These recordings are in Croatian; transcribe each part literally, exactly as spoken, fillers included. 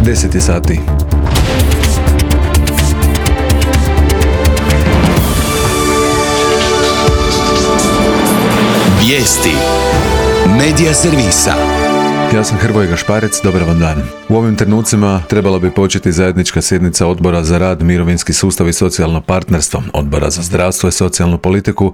deset je sati. Vijesti Medija servisa. Ja sam Hrvoje Gašparec, dobar vam dan. U ovim trenucima trebala bi početi zajednička sjednica Odbora za rad, mirovinski sustav i socijalno partnerstvo, Odbora za zdravstvo i socijalnu politiku,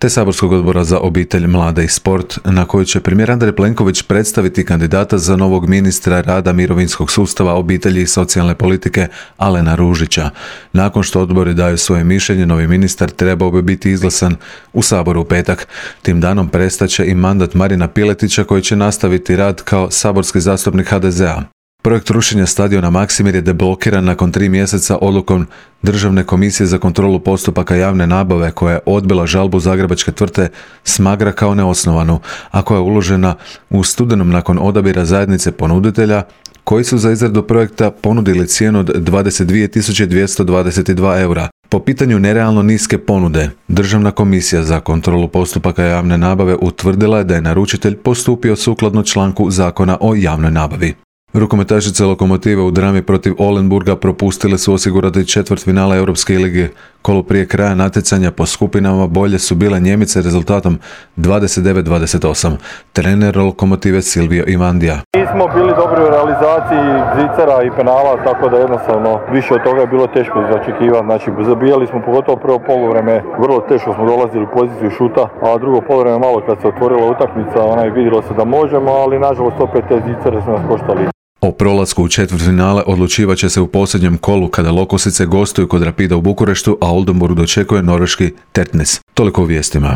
te saborskog odbora za obitelj, mlade i sport, na kojoj će premijer Andrej Plenković predstaviti kandidata za novog ministra rada, mirovinskog sustava, obitelji i socijalne politike Alena Ružića. Nakon što odbori daju svoje mišljenje, novi ministar trebao bi biti izglasan u Saboru u petak. Tim danom prestaće i mandat Marina Piletića, koji će nastaviti rad kao saborski zastupnik ha de zea. Projekt rušenja stadiona Maksimir je deblokiran nakon tri mjeseca odlukom Državne komisije za kontrolu postupaka javne nabave, koja je odbila žalbu zagrebačke tvrtke Smagra kao neosnovanu, a koja je uložena u studenom nakon odabira zajednice ponuditelja, koji su za izradu projekta ponudili cijenu od dvadeset dvije tisuće dvjesto dvadeset dva eura. Po pitanju nerealno niske ponude, Državna komisija za kontrolu postupaka javne nabave utvrdila je da je naručitelj postupio sukladno članku Zakona o javnoj nabavi. Rukometašice Lokomotive u drami protiv Olenburga propustile su osigurati četvrtfinale Europske lige. Kolo prije kraja natjecanja po skupinama bolje su bile Njemice rezultatom dvadeset devet dvadeset osam. Trener Lokomotive Silvio Ivandija. Nismo bili dobri u realizaciji zicera i penala, tako da jednostavno više od toga je bilo teško zaočekivati. Znači, zabijali smo pogotovo prvo poluvreme, vrlo teško smo dolazili u poziciju šuta, a drugo poluvreme malo kad se otvorila utakmica, onaj vidjelo se da možemo, ali nažalost opet te zicere su nas koštali. O prolasku u četvrtfinale odlučivat će se u posljednjem kolu kada Lokosice gostuju kod Rapida u Bukureštu, a Oldenburg dočekuje norveški Tertnes. Toliko u vijestima.